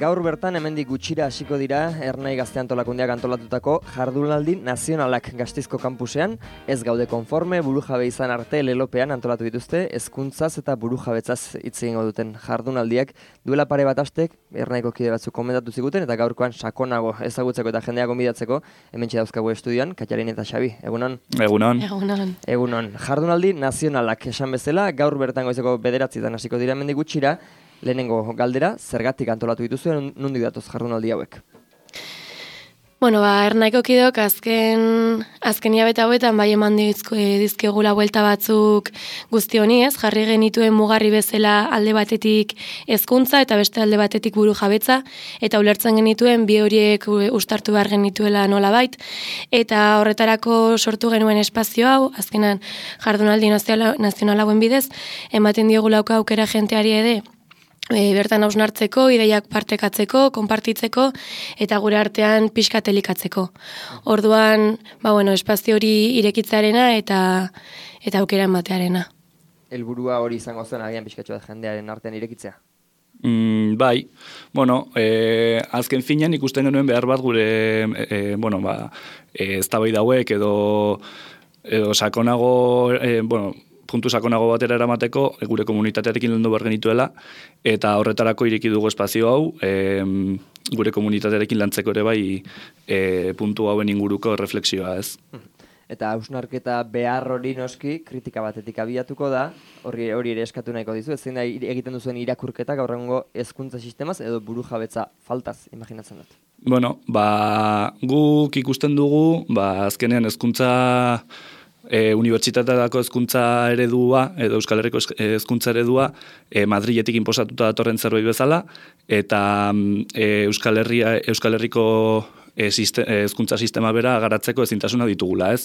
gaur bertan hemendik gutxira hasiko dira Ernai Gazte Antolakundeak antolatutako jardunaldi nazionalak Gasteizko kampusean. Ez gaude konforme, burujabe izan arte lelopean antolatu dituzte hezkuntzaz eta burujabetzaz hitz egingo duten jardunaldiak. Duela pare bat astek Ernaiko kide batzuk komentatu ziguten eta gaurkoan sakonago ezagutzeko eta jendeak gonbidatzeko hementxe dauzkagu estudioan, Katjarin eta Xabi. Egunon? Egunon. Egunon. Jardunaldi nazionalak esan bezala, gaur bertan goizeko 9:00 hasiko dira hemendik gutxira. Lehenengo galdera, zergatik antolatu dituzu, nondik datoz jardunaldi hauek? Ernaiko kideok azken hilabete hauetan bai eman dizkigula buelta batzuk guzti honi, ez? Jarri genituen mugarri bezala alde batetik hezkuntza eta beste alde batetik burujabetza, eta ulertzen genituen bi horiek uztartu behar genituela nolabait, eta horretarako sortu genuen espazio hau, azkenan jardunaldi nazional hauen bidez, ematen diogulako aukera jenteari ere, bertan hausnartzeko, ideiak partekatzeko, konpartitzeko, eta gure artean pixka telikatzeko. Orduan, espazio hori irekitzarena eta aukera ematearena. Helburua hori izango zen agian pixkatxo bat jendearen artean irekitzea? Bai, azken finean ikusten genuen behar bat gure, eztabaida hauek edo sakonago, puntu sakonago batera eramateko, gure komunitatearekin landu behar genituela, eta horretarako ireki dugu espazio hau, gure komunitatearekin lantzeko ere bai puntu hauen inguruko refleksioa, ez. Eta hausnarketa behar hori noski kritika batetik abiatuko da, hori ere eskatu nahiko dizu, ez zein da egiten duzuen irakurketa gaur egungo hezkuntza sistemaz edo burujabetza faltaz, imaginatzen dut. Guk ikusten dugu, azkenean hezkuntza unibertsitateetako hezkuntza eredua edo Euskal Herriko hezkuntza eredua Madriletik inposatuta datorren zerbait bezala, eta Euskal Herriko hezkuntza sistema bera garatzeko ezintasuna ditugula, ez?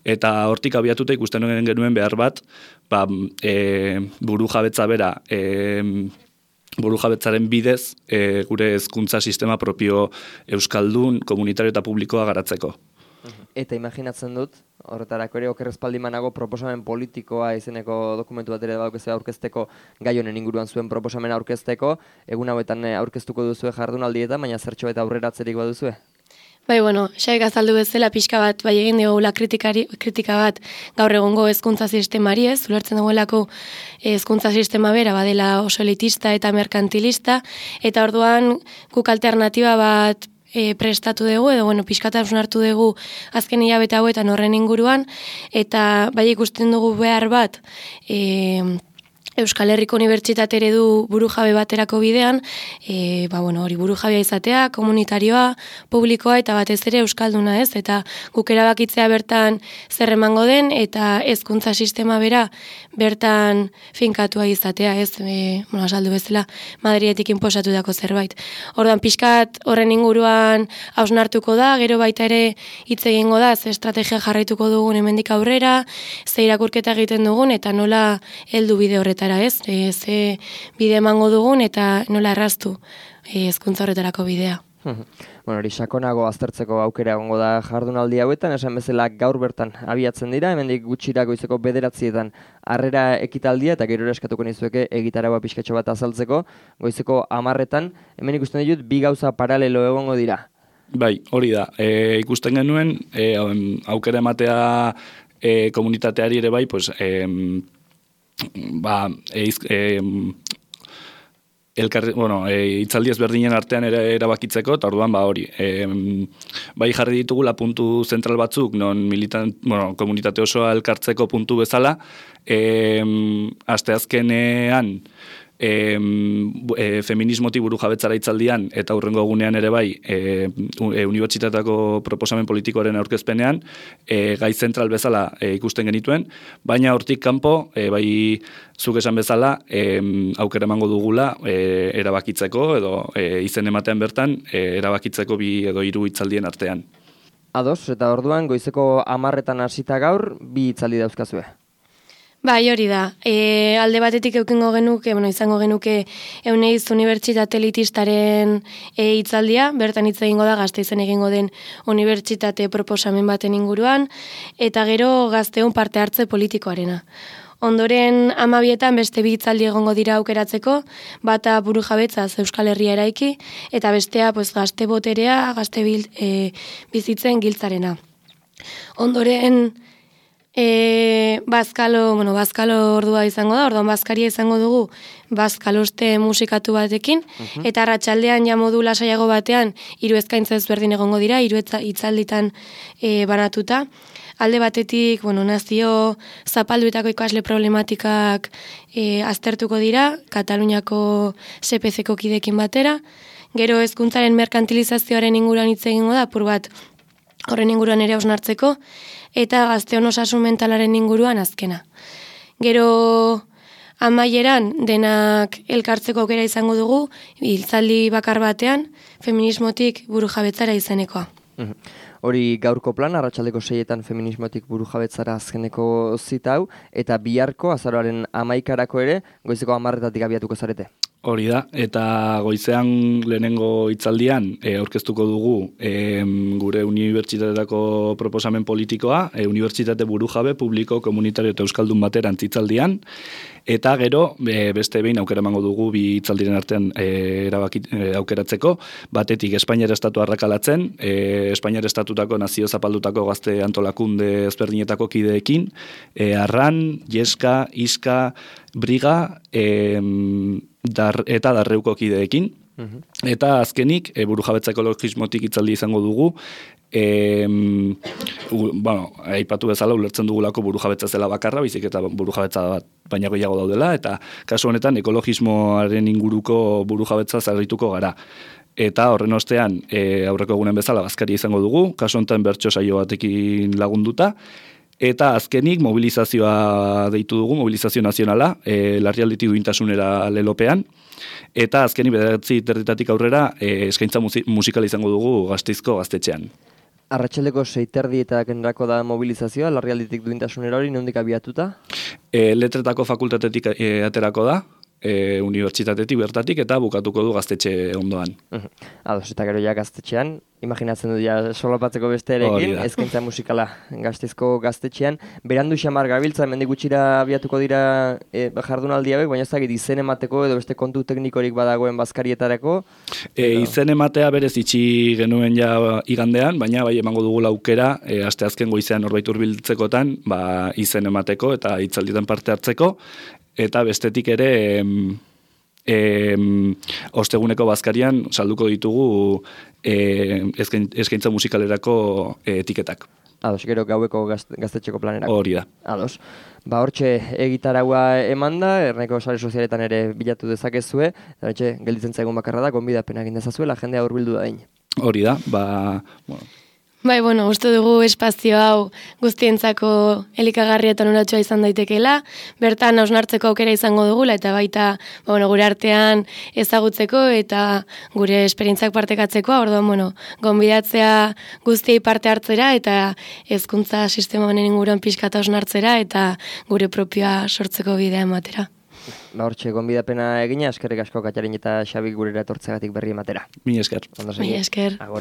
Eta hortik abiatuta ikusten genuen behar bat, burujabetza bera, burujabetzaren bidez gure hezkuntza sistema propio euskaldun, komunitario eta publikoa garatzeko. Eta imaginatzen dut, horretarako ere okerrezpaldimanago proposamen politikoa izeneko dokumentu bat ere badaukezea aurkezteko, gai honen inguruan zuen proposamen aurkezteko, egun hauetan aurkeztuko duzue jardunaldietan, baina zertxo eta aurreratzerik baduzue? Xaik azaldu bezala pixka bat, bai egin digula kritika bat gaur egungo hezkuntza sistemari, ez? Ulertzen duelako hezkuntza sistema bera badela oso elitista eta merkantilista, eta orduan guk alternatiba bat prestatu dugu, edo pixkata hartu dugu azken hilabete hauetan horren inguruan, eta bai ikusten dugu behar bat Euskal Herriko Unibertsitate eredu burujabe baterako bidean, hori burujabea izatea, komunitarioa, publikoa eta batez ere euskalduna, ez? Eta guk erabakitzea bertan zer emango den eta hezkuntza sistema bera bertan finkatua izatea, ez? Azaldu bezala Madriletik inposatutako zerbait. Orduan pixkat horren inguruan hausnartuko da, gero baita ere hitz egingo da, ze estrategia jarraituko dugun hemendik aurrera, ze irakurketa egiten dugun eta nola heldu bide horretan. Ze bide emango dugun eta nola erraztu hezkuntza horretarako bidea. Hori sakonago aztertzeko aukera egongo da jardunaldi hauetan, esan bezala gaur bertan abiatzen dira, hemendik gutxira goizeko 9:00 harrera ekitaldia eta gero eskatuko nizueke egitaragoa pixkatxo bat azaltzeko, goizeko 10:00 hemen ikusten ditut bi gauza paralelo egongo dira. Bai, hori da. Ikusten genuen aukera ematea komunitateari ere bai, hitzaldi ezberdinen artean erabakitzeko, eta orduan hori. Bai jarri ditugula puntu zentral batzuk, non komunitate osoa elkartzeko puntu bezala, asteazkenean feminismoti burujabetzara hitzaldian eta hurrengo egunean ere bai unibertsitateko proposamen politikoaren aurkezpenean gai zentral bezala ikusten genituen, baina hortik kanpo bai zuk esan bezala aukera emango dugula erabakitzeko edo izen ematean bertan erabakitzeko 2 edo 3 hitzaldien artean. Ados, eta orduan goizeko 10:00 hasita gaur 2 hitzaldi dauzkazue. Bai, hori da. Alde batetik izango genuke Euneiz Unibertsitate elitistaren hitzaldia, bertan hitz egingo da Gasteizen egingo den unibertsitate proposamen baten inguruan, eta gero gazteon parte hartze politikoarena. Ondoren 12etan beste bi hitzaldi egongo dira aukeratzeko, bata burujabetzaz Euskal Herria eraiki, eta bestea gazte boterea, bizitzen giltzarena. Ondoren bazkalo ordua izango da, orduan bazkaria izango dugu bazkaloste musikatu batekin, eta arratsaldean ja modu lasaiago batean 3 eskaintza ezberdin egongo dira, 3 hitzalditan banatuta. Alde batetik, nazio zapalduetako ikasle problematikak aztertuko dira, Kataluniako SPC-ko kidekin batera. Gero hezkuntzaren merkantilizazioaren inguruan hitz egingo da, apur bat horren inguruan ere hausnartzeko, eta gazteon osasun mentalaren inguruan azkena. Gero amaieran denak elkartzeko aukera izango dugu, hitzaldi bakar batean, feminismotik burujabetzara izenekoa. Hori gaurko plan, arratsaldeko 6etan feminismotik burujabetzara azkeneko zita hau, eta biharko azaroaren 11-arako ere, goizeko 10-etatik abiatuko zarete. Hori da, eta goizean lehenengo hitzaldian aurkeztuko dugu gure unibertsitateetako proposamen politikoa, unibertsitate burujabe, publiko, komunitario eta euskaldun baterantz hitzaldian, eta gero beste behin aukera emango dugu bi hitzaldiren artean aukeratzeko, batetik Espainiar Estatua arrakalatzen, Espainiar Estatutako nazio zapaldutako gazte antolakunde ezberdinetako kideekin, Arran, Jeska, Iska, Briga, eta Darreuko kideekin. Eta azkenik, burujabetza ekologismotik hitzaldi izango dugu, aipatu bezala ulertzen dugulako burujabetza zela bakarra, bizik eta burujabetza bat baina gehiago daudela, eta kasu honetan ekologismoaren inguruko burujabetza zarrituko gara. Eta horren ostean, aurreko egunen bezala bazkaria izango dugu, kasu honetan bertso saio batekin lagunduta, eta azkenik mobilizazioa deitu dugu, mobilizazio nazionala, larrialditik duintasunera lelopean, eta azkenik 9:30 aurrera eskaintza musikala izango dugu Gasteizko gaztetxean. Arratsaldeko 6:30 da mobilizazioa, larrialditik duintasunera hori, nondik abiatuta? Letretako fakultatetik aterako da, unibertsitatetik bertatik, eta bukatuko du gaztetxe ondoan. Ados, eta gero ja gaztetxean, imaginatzen du ja solapatzeko beste erekin, eskaintza musikala Gasteizko gaztetxean. Berandu xamar gabiltza, mendik gutxira abiatuko dira jardunaldi hauek, baina ez dakit izen emateko edo beste kontu teknikorik badagoen bazkarietarako? Izen ematea berez itxi genuen ja igandean, baina bai emango dugu aukera, asteazken goizean norbait hurbiltzekotan, izen emateko eta hitzaldietan parte hartzeko, eta bestetik ere osteguneko bazkarian salduko ditugu eskaintza musikalerako etiketak. Ados, gero gaueko gaztetxeko planerako. Hori da. Ados. Hortxe egitaraua eman da, erneko sare sozialetan ere bilatu dezakezue, eta hortxe gelditzen zaigun bakarra da, gonbidapena egin dezazuela, jendea hurbildu da egin. Hori da, uste dugu espazio hau guztientzako elikagarria eta onuratxoa izan daitekeela, bertan hausnartzeko aukera izango dugula, eta baita gure artean ezagutzeko eta gure esperientziak partekatzeko, orduan, gonbidatzea guztiei parte hartzera eta hezkuntza sistema honen inguruan pixkata hausnartzera eta gure propioa sortzeko bidea ematera. Hortxe, gonbidapena egina, eskerrik asko Katjarin eta Xabik gurera etortzegatik berri ematera. Mila esker. Mila esker. Agor.